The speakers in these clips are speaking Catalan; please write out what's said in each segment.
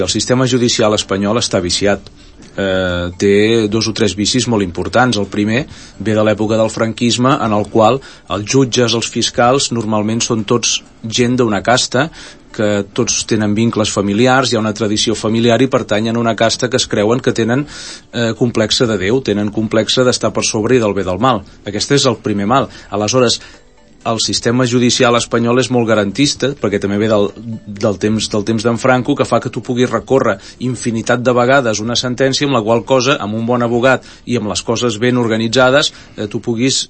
El sistema judicial espanyol està viciat. Té 2 o 3 vicis molt importants. El primer ve de l'època del franquisme, en el qual els jutges, els fiscals, normalment són tots gent d'una casta, que tots tenen vincles familiars, hi ha una tradició familiar i pertanyen a una casta que es creuen que tenen complexe de Déu, tenen complexe d'estar per sobre i del bé del mal. Aquest és el primer mal. Aleshores, el sistema judicial espanyol és molt garantista, perquè també ve del temps d'en Franco, que fa que tu puguis recórrer infinitat de vegades una sentència amb la qual cosa, amb un bon abogat i amb les coses ben organitzades, tu puguis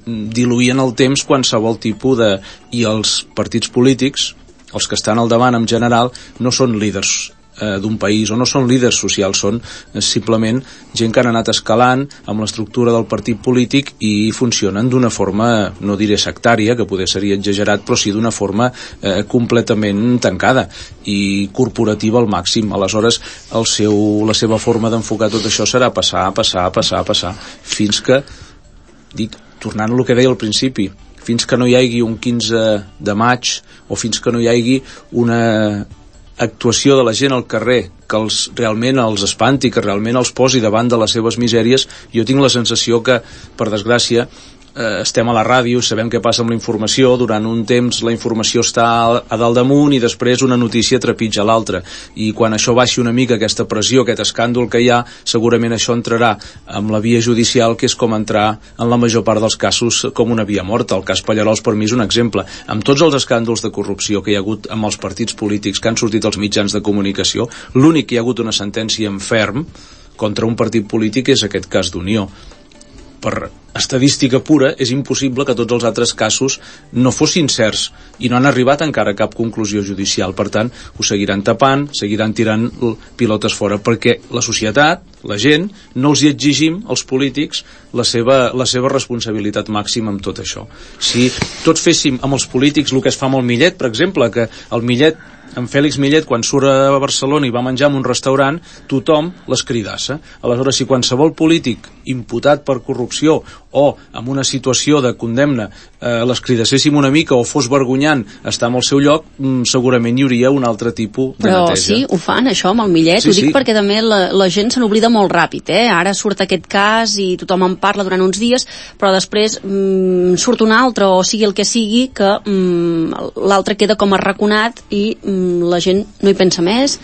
diluir en el temps qualsevol tipus de... I els partits polítics, els que estan al davant en general, no són líders d'un país, o no són líders socials, són simplement gent que han anat escalant amb l'estructura del partit polític i funcionen d'una forma, no diré sectària, que poder seria exagerat, però sí d'una forma completament tancada i corporativa al màxim. Aleshores, la seva forma d'enfocar tot això serà passar, fins que, tornant a el que deia al principi, fins que no hi hagi un 15 de maig o fins que no hi hagi una actuació de la gent al carrer que realment els espanti, que realment els posi davant de les seves misèries, jo tinc la sensació que, per desgràcia, estem a la ràdio, sabem què passa amb la informació, durant un temps la informació està a dalt damunt i després una notícia trepitja l'altra, i quan això baixi una mica, aquesta pressió, aquest escàndol que hi ha, segurament això entrarà amb la via judicial, que és com entrar en la major part dels casos com una via morta. El cas Pallerols per mi és un exemple. Amb tots els escàndols de corrupció que hi ha hagut amb els partits polítics que han sortit als mitjans de comunicació, l'únic que hi ha hagut una sentència en ferm contra un partit polític és aquest cas d'Unió. Per estadística pura, és impossible que tots els altres casos no fossin certs i no han arribat encara a cap conclusió judicial. Per tant, ho seguiran tapant, seguiran tirant pilotes fora, perquè la societat, la gent, no els hi exigim als polítics la seva responsabilitat màxima amb tot això. Si tots féssim amb els polítics el que es fa amb el Millet, per exemple, que el Millet, en Fèlix Millet, quan surt a Barcelona i va menjar en un restaurant, tothom les cridassa. Aleshores, si qualsevol polític imputat per corrupció o amb una situació de condemna les cridasséssim una mica o fos vergonyant estar en el seu lloc, segurament hi hauria un altre tipus de neteja. Però sí, ho fan això amb el Millet, ho dic perquè també la gent se n'oblida molt ràpid, ara surt aquest cas i tothom en parla durant uns dies, però després surt un altre, o sigui el que sigui, que l'altre queda com arraconat i la gent no hi pensa més